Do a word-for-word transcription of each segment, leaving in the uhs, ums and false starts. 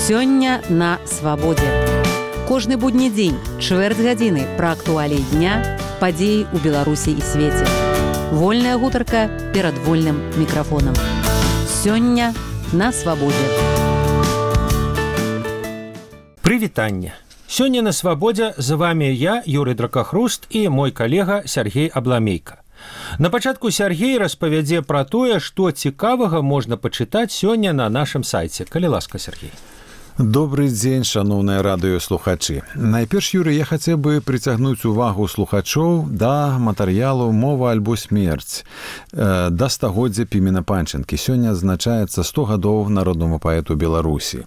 Сёння на свабодзе. Кожны будні дзень, чвэрць гадзіны пра актуаліі дня, падзеі ў Беларусі і свеце. Вольная гутарка перад вольным мікрафонам. Сёння на свабодзе. Прывітанне. Сёння на свабодзе з вами я, Юрый Дракахруст, і мой калега Сергей Абламейка. На пачатку Сергей распавядзе пра тое, што цікавага можна пачытаць сёння на нашым сайце. Калі ласка, Сергей. Добрый дзень, шановныя радыёслухачы. Найперш, Юрый, я хацеў бы прыцягнуць увагу слухачоў да матэрыялу «Мова альбо смерць» да стагоддзя Пімена Панченкі. Сёння адзначаецца сто гадоў народнаму паэту Беларусі.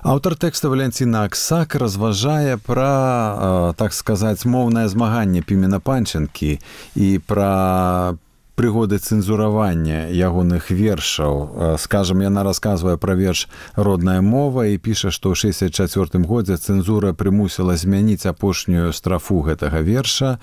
Аўтар тэкста Валянціна Аксак разважае пра, так сказаць, моўнае змаганне Пімена Панченкі і пра прыгоды цэнзуравання ягоных вершаў. Скажам, яна расказвае пра верш «Родная мова» і піша, што ў шэсцьдзесят чацвёртым годзе цэнзура прымусіла змяніць апошнюю страфу гэтага верша,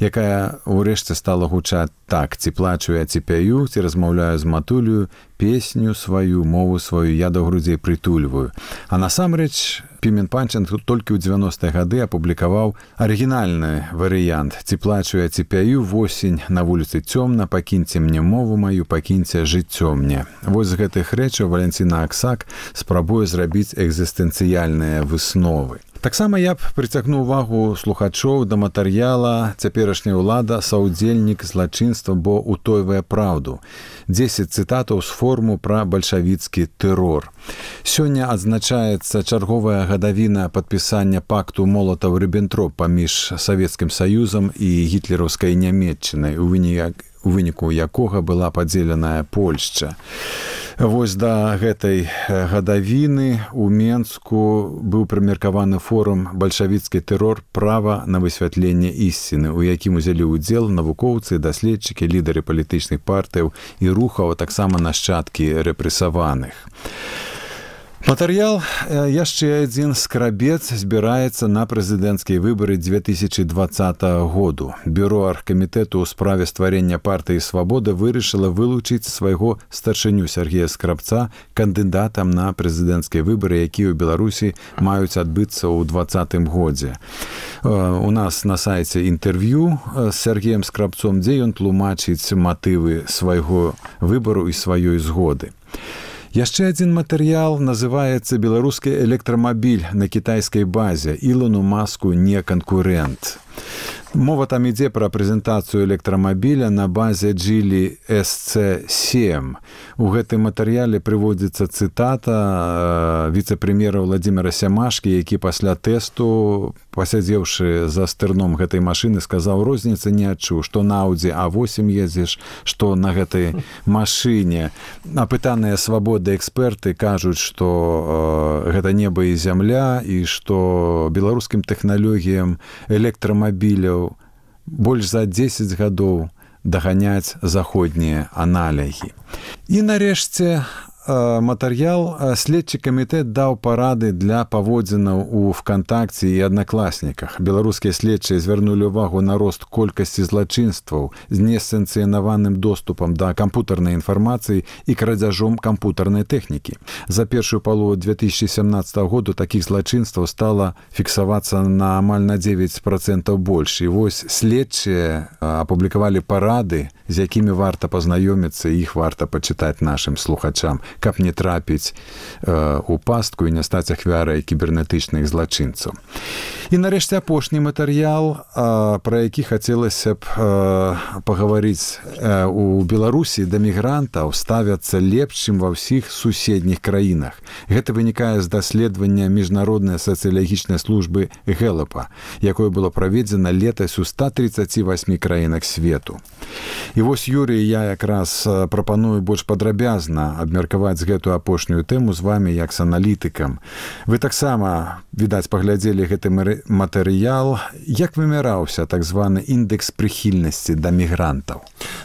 якая ўрэшце стала гучаць так: «Ці плачу я, ці пяю, ці размаўляю з матулю, песню сваю, мову сваю я да грудзей прытульваю». А насамрэч Пімен Панченко толькі ў дзевяностыя гады апублікаваў арыгінальны варыянт «Ці плачу я, ці пяю, восень, на вуліцы цёмна, пакіньце мне мову маю, пакіньце жыццё мне». Вось з гэтых рэчаў Валянціна Аксак спрабуе зрабіць экзістэнцыяльныя высновы. Таксама я б прыцягнуў увагу слухачоў да матэрыяла «Цяперашняя ўлада, саўдзельнік злачынства, бо утойвае праўду». дзесяць цытатаў з форуму пра бальшавіцкі тэрор. Сёння адзначаецца чарговая гадавіна падпісання пакту Молатаў-Ріббентроп паміж Савецкім Саюзам і гітлераўскай Нямецчынай, у выніку у выніку якога была падзеленая Польшча. Вось да гэтай гадавіны ў Менску быў прымеркаваны форум «Бальшавіцкі тэрор. Права на высвятленне ісціны», у якім узялі ўдзел навукоўцы, даследчыкі, лідары палітычных партыяў і рухаў, а таксама нашчадкі рэпрэсаваных. Матэрыял «Яшчэ адзін скрабец» збіраецца на прэзідэнцкія выбары дзве тысячы дваццатага году. Бюро аргкамітэту ў справе стварэння партыі «Свабода» вырашыла вылучыць свайго старшыню Сергея Скрабца кандыдатам на прэзідэнцкія выбары, якія ў Беларусі маюць адбыцца ў дваццатым годзе. У нас на сайце інтэрв'ю з Сергеем Скрабцом, дзе ён тлумачыць матывы свайго выбару і сваёй згоды. Яшчэ адзін матэрыял называецца «Беларускі электрамабіль на кітайскай базе. Ілону Маску не канкурэнт». Мова там ідзе пра прэзентацыю электрамабіля на базе Geely эс цэ сем. У гэтым матэрыяле прыводзіцца цытата віцэ-прэм'ера Владзіміра Сямашкі, які пасля тэсту, пасядзеўшы за стырном гэтай машыны, сказаў: «Розніцы не адчуў, што на Audi а восем ездзіш, што на гэтай машыне». Апытаныя «Свабода» эксперты кажуць, што э, гэта неба і зямля, і што беларускім тэхналогіям электрамабіляў больш за дзесяць гадоў даганяць заходнія аналогі. І нарэшце матэрыял «Следчы камітэт даў парады для паводзінаў у ВКонтакце і Аднакласніках». Беларускія следчыя звярнулі ўвагу на рост колькасці злачынстваў з несанкцыянаваным доступам да кампутарнай інфармацыі і крадзяжом кампутарнай тэхнікі. За першую палову дзве тысячы сямнаццатага году такіх злачынстваў стала фіксавацца на амаль на дзевяць працэнтаў больш. І вось следчыя апублікавалі парады, з якімі варта пазнаёміцца, і іх варта пачытаць нашым слухачам, каб не трапіць э, у пастку і не стаць ахвярай кібернетычных злачынцаў. І нарэшце апошні матэрыял, э, пра які хацелася б э, пагаварыць. Э, у Беларусі да мігрантаў ставяцца лепш, чым ва ўсіх суседніх краінах. Гэта вынікае з даследавання міжнароднай сацыялагічнай службы Гэлапа, якое было праведзена летась у ста трыццаці васьмі краінах свету. І вось, Юрый, я якраз прапаную больш падрабязна абмеркаваць гэтую апошнюю тэму з вами як з аналітыкам. Вы таксама, відаць, паглядзелі гэты матэрыял. Як вымяраўся так званы індэкс прыхільнасці да мігрантаў?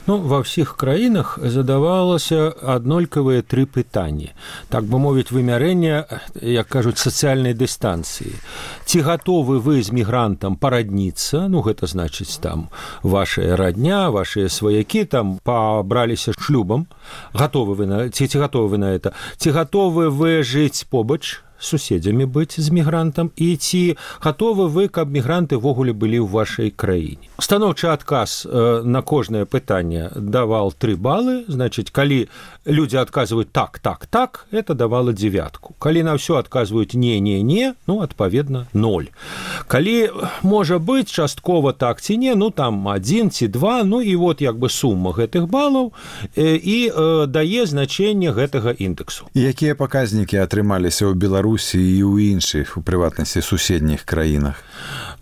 Ну, ва ўсіх краінах задавалася аднолькавыя тры пытанні. Так бы мовіць, вымярэнне, як кажуць, сацыяльнай дыстанцыі. Ці гатовы вы з мігрантам парадніцца? Ну, гэта значыць, там, вашая радня, вашыя сваякі там пабраліся шлюбам. Гатовы вы на... Ці, ці гатовы вы на это? Ці гатовы вы жыць побач суседзямі быць з мігрантам, і ці гатовы вы, каб мігранты ввогуле былі ў вашай краіне. Станоўчы адказ на кожнае пытанне давал тры балы, значыць, калі людзі адказваюць так, так, так, это давала дзевятку. Калі на ўсё адказваюць не, не, не, ну, адпаведна, ноль. Калі можа быць часткова так ці не, ну, там адзін ці два, ну, і вот як бы сума гэтых балаў і э, дае значэнне гэтага індексу. Якія паказнікі атрымаліся ў Беларусі і ў іншых, у прыватнасці, суседніх краінах?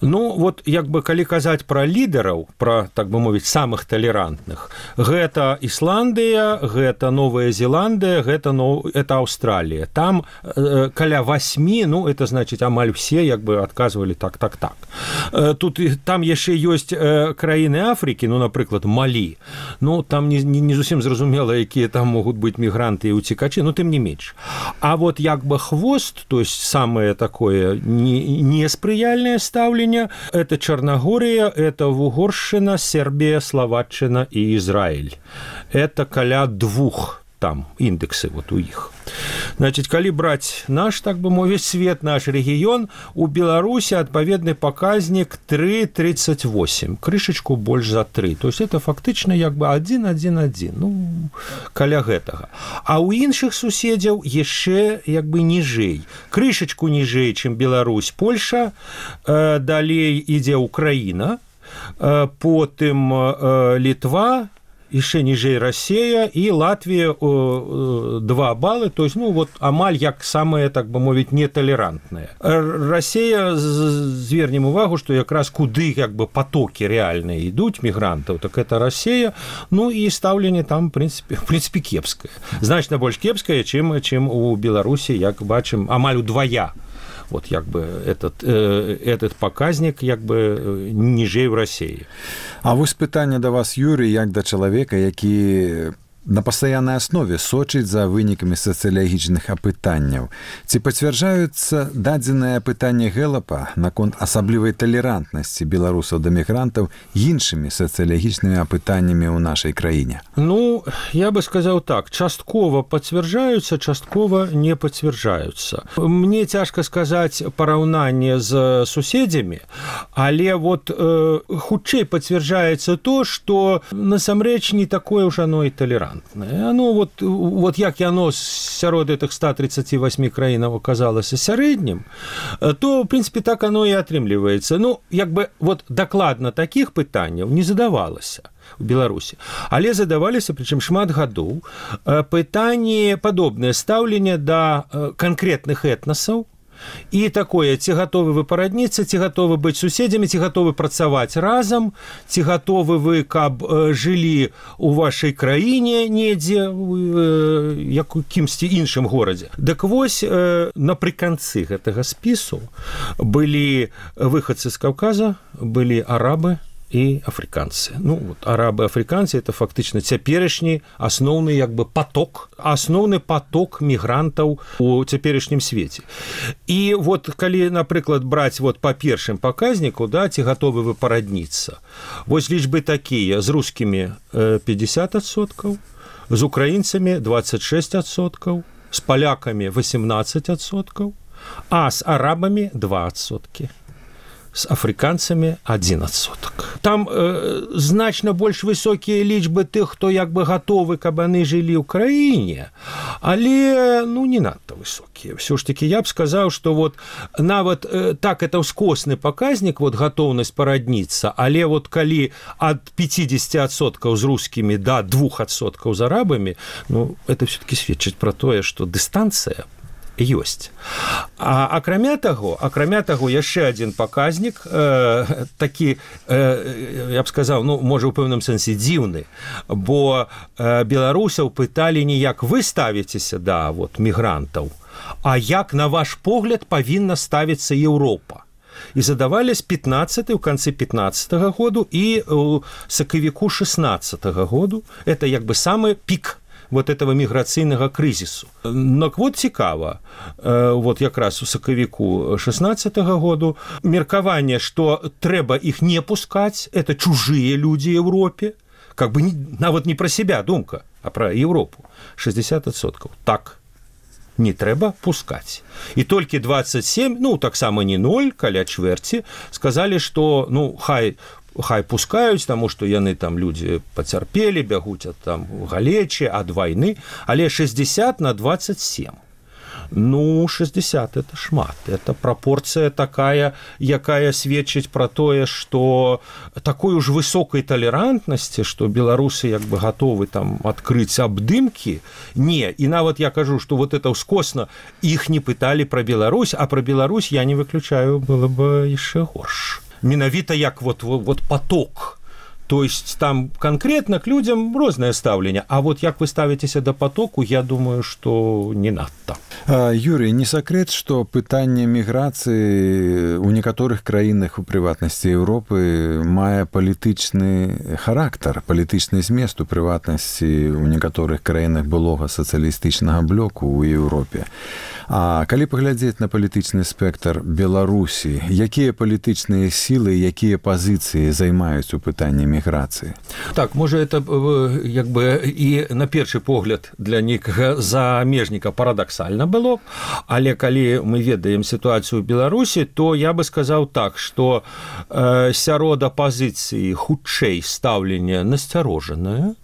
Ну, вот, як бы, калі казаць пра лідараў, пра, так бы мовіць, самых талерантных, гэта Ісландыя, гэта Новая Зеландыя, гэта, ну, это Аўстралія. Там э, каля васьмі, ну, это, значыць, амаль усе, як бы, адказвалі так, так, так. Э, тут, там яшчэ ёсць э, краіны Афрыкі, ну, напрыклад, Малі. Ну, там не, не, не зусім зразумела, якія там могуць быць мігранты і уцекачы, ну, тым не менш. А вот, як бы, хвост, то есть, самое такое неспрыяльнае стаўленне, это Чарнагория, это Угоршчына, Сербия, Словаччына и Израиль. Это каля двух там индексы вот у іх. Значит, калі браць наш, так бы мовіць, свет, наш рэгіён, у Беларусі адпаведны паказнік тры тридцать восемь, крышачку больш за тры. То есть это фактычна як бы адзін адзін адзін, ну, каля гэтага. А ў іншых суседзяў яшчэ як бы ніжэй. Крышачку ніжэй, чым Беларусь, Польша, э, далей ідзе Украіна, э, потым э, Літва, яшчэ ніжэй Расія і Латвія э, два балы, то есть, ну, вот амаль як самая, так бы мовіць, неталерантная. Расія, звернем увагу, што якраз куды як бы потокі рэальныя ідуць мігрантаў, так это Расія, ну і стаўленне там, в принципе, в принципе, кепскае. Значна больш кепскае, чым, чым у Беларусі, як бачым, амаль удвая. Вот як бы этот, э, этот паказнік як бы ніжэй у Расіі. А вось пытанне да вас, Юрый, як да чалавека, які на пастаяннай аснове сочыць за вынікамі сацыялагічных апытанняў. Ці пацвярджаюцца дадзенае пытанне Гэлапа наконт асаблівай талерантнасці беларусаў да мігрантаў іншымі сацыялагічнымі апытаннямі ў нашай краіне? Ну, я бы сказаў так, часткова пацвярджаюцца, часткова не пацвярджаюцца. Мне цяжка сказаць параўнанне з суседзямі, але вот э, хутчэй пацвярджаецца то, што насамрэч не такое ўжо оно і талерантнае. Оно вот, вот як яно сярод этих ста тридцати восьми краінаў оказалася сярэднім, то, в принципе, так оно і атрымліваецца. Ну, як бы, вот дакладна такіх пытанняў не задавалася у Беларусі, але задаваліся, прычым шмат гадоў, пытанні, падобнае стаўленне да канкрэтных этнасаў, і такое, ці гатовы вы парадніцца, ці гатовы быць суседзямі, ці гатовы працаваць разам, ці гатовы вы, каб э, жылі ў вашай краіне недзе, э, як у кімсьці іншым горадзе. Дык вось, э, напрыканцы гэтага спісу былі выхадцы з Каўказа, былі арабы і афрыканцы. Ну, вот, арабы, афрыканцы – это фактычна цяперашні асноўны як бы поток, асноўны поток мігрантаў у цяперашнім свеце. І вот калі, напрыклад, браць вот па першым паказніку, да, ці гатовы вы парадніцца, вось лічбы такія, з рускімі пятьдесят адсоткаў, з украінцамі двадцать шесть адсоткаў, з палякамі восемнадцать адсоткаў, а з арабамі два адсоткі. З афрыканцамі адзін адсотак. Там э, значна больш высокія лічбы тых, хто як бы гатовы, каб яны жылі ў краіне, але, ну, не надта высокія. Всё ж таки, я б сказаў, што вот нават э, так, это ўскосны паказнік, вот гатоўнасць парадніцца, але вот калі ад пятьдесят адсоткаў з рускімі да двух адсоткаў з арабамі, ну, это все-таки сведчыць пра тое, што дыстанцыя ёсць. А акрамя таго, акрамя таго, яшчэ адзін паказнік, э, такі, э, я б сказаў, ну, можа, у пэўным сэнсе дзіўны, бо э, беларусаў пыталі не як вы ставіцеся да вот, мігрантаў, а як, на ваш погляд, павінна ставіцца Еўропа. І задавалі з пятнадцатого, ў канцы пятнадцатого году і ў сакавіку шестнадцатого году. Это як бы самы пік вот этого міграцыйнага крызісу. Но вот цікава, вот якраз у сакавіку шестнадцатого году меркаванне, што трэба іх не пускаць, это чужыя людзі Еўропе, как бы не, нават не пра себя думка, а пра Еўропу. шестьдесят адсоткаў. Так. не трэба пускаць. І толькі двадцать семь, ну таксама не ноль, каля чвэрці, сказалі, што ну хай хай пускаюць, таму што яны там людзі пацярпелі, бягуць ад там галечы, ад вайны, але шестьдесят на двадцать семь. Ну, шестьдесят – это шмат. Это пропорция такая, якая сведчыць пра тое, што такой уж высокай талерантнасці, што беларусы як бы гатовы там адкрыць абдымкі. Не, і нават я кажу, што вот это ўскосна, іх не пыталі пра Беларусь, а пра Беларусь я не выключаю, было бы яшчэ горш. Менавіта як вот, вот, вот поток. То есть там конкретно к людям розное ставленне, а вот як вы ставитеся до потоку, я думаю, что не надто. Юрий, не секрет, что пытанне міграцыі у некаторых краінах, у прыватнасці Еўропы, мае палітычны характар, палітычны змест у прыватнасці у некаторых краінах былога сацыялістычнага блоку ў Еўропе. А калі паглядзець на палітычны спектр Беларусі, якія палітычныя сілы, якія пазіцыі займаюць у пытанні міграцыі? Так, можа, это як бы і на першы погляд для некага замежніка парадаксальна было, але калі мы ведаем сітуацыю ў Беларусі, то я бы сказаў так, што э, сярод апазіцыі хутчэй стаўленне насцярожанае,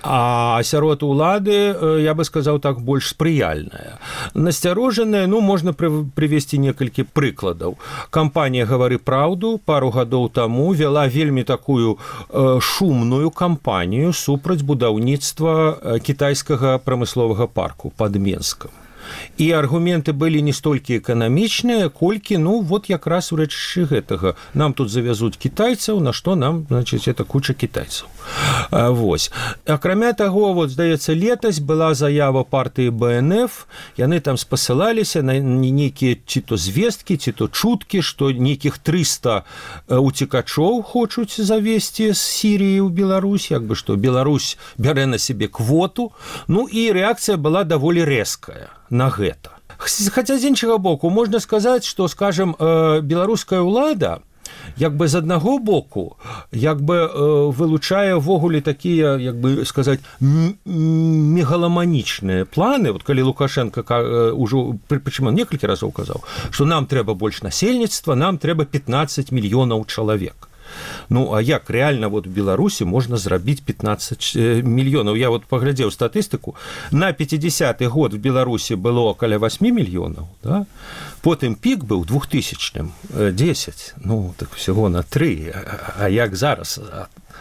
а сярод улады, я бы сказаў так, больш спрыяльная. Насцярожаная, ну, можна прывесці некалькі прыкладаў. Кампанія «Гавары праўду» пару гадоў таму вела вельмі такую э, шумную кампанію супраць будаўніцтва кітайскага прамысловага парку пад Менскам. І аргументы былі не столькі эканамічныя, колькі, ну, вот якраз у рэчышчы гэтага. Нам тут завязуць кітайцаў, на што нам, значыць, это куча кітайцаў. А, вось. Акрамя таго, вот, здаецца, летась была заява партыі бэ эн эф, яны там спасылаліся на нейкія ці то звесткі, ці то чуткі, што нейкіх трыста уцекачоў хочуць завесці з Сіріі ў Беларусь, як бы што Беларусь бярэ на сябе квоту, ну і рэакцыя была даволі рэзкая на гэта. Хаця з іншага боку, можна сказаць, што, скажем, беларуская ўлада як бы з аднаго боку як бы вылучае ввогуле такія, як бы сказаць, мегаламанічныя планы. Вот калі Лукашенко ўжо прычым некалькі разоў казаў, што нам трэба больш насельніцтва, нам трэба пятнадцать мільёнаў чалавек. Ну, а як реально вот в Беларусі можна зрабіць пятнадцать мільёнаў? Я вот паглядзеў статыстыку. На пятидесяты год в Беларусі было каля восемь мільёнаў, да? Потым пік быў двухтысячным десять, ну, так всего на три. А як зараз?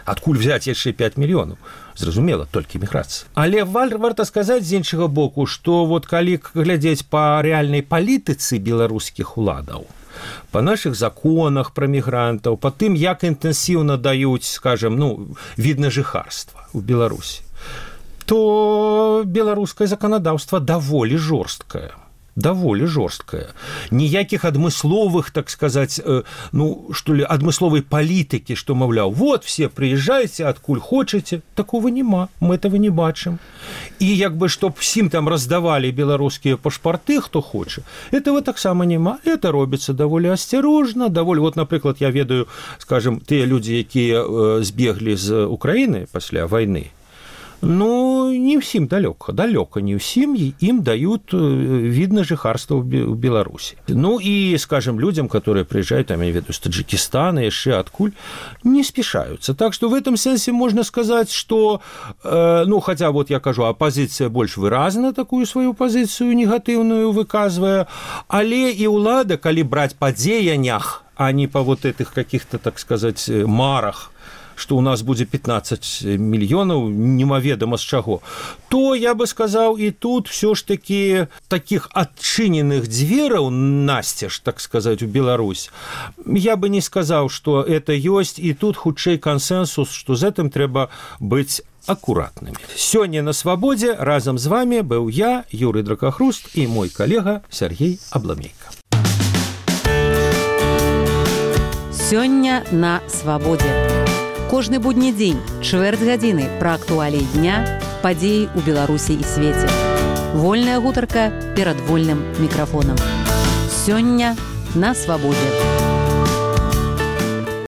Адкуль взять яшчэ пять мільёнаў? Зразумела, толькі міграцыя. Але варта сказаць з іншага боку, што вот калі глядзець па рэальнай палітыцы беларускіх уладаў, по наших законах про мігрантаў, по тым, як інтэнсіўна даюць, скажем, ну, від на жыхарства ў Беларусі, то беларускае заканадаўства даволі жорсткае. Даволі жорсткая. Ніякіх адмысловых, так сказаць, ну, што ли, адмысловай палітыкі, што, маўляў, вот, все приезжайте, адкуль хочаце, такого нема, мы этого не бачым. І як бы, чтоб всім там раздавалі беларускія пашпарты, хто хоча, этого таксама нема. Это робіцца даволі асцярожна, даволі, вот, напрыклад, я ведаю, скажем, тыя людзі, якія збеглі з Украіны пасля вайны, ну, не ўсім далёка, далёка не ўсім, ім дают від на жыхарства ў Беларусі. Ну і, скажем, людям, которые приезжают, там, я ведаю, з Таджикистана, яшчэ адкуль, не спешаются. Так что в этом сенсе можно сказать, что, э, ну, хотя вот я кажу, оппозиция больш выразна такую свою позицию негатыўную выказвае, але і ўлада, калі браць па дзеяннях, а не по вот этих каких-то, так сказать, марах, что у нас будет пятнадцать мільёнаў, немаведама з чаго, то я бы сказаў, і тут все ж таки таких адчыненых дзвераў насцеж, так сказать, у Беларусь, я бы не сказаў, что это ёсць, і тут хутчэй кансенсус, что з гэтым трэба быць акуратнымі. Сёння на свабодзе разам з вами быў я, Юрый Дракахруст, і мой калега Сергей Абламейка. Сёння на свабодзе. Кожны будні дзень, чвэрць гадзіны пра актуаліі дня, падзеі ў Беларусі і свеце. Вольная гутарка перад вольным мікрафонам. Сёння на свабодзе.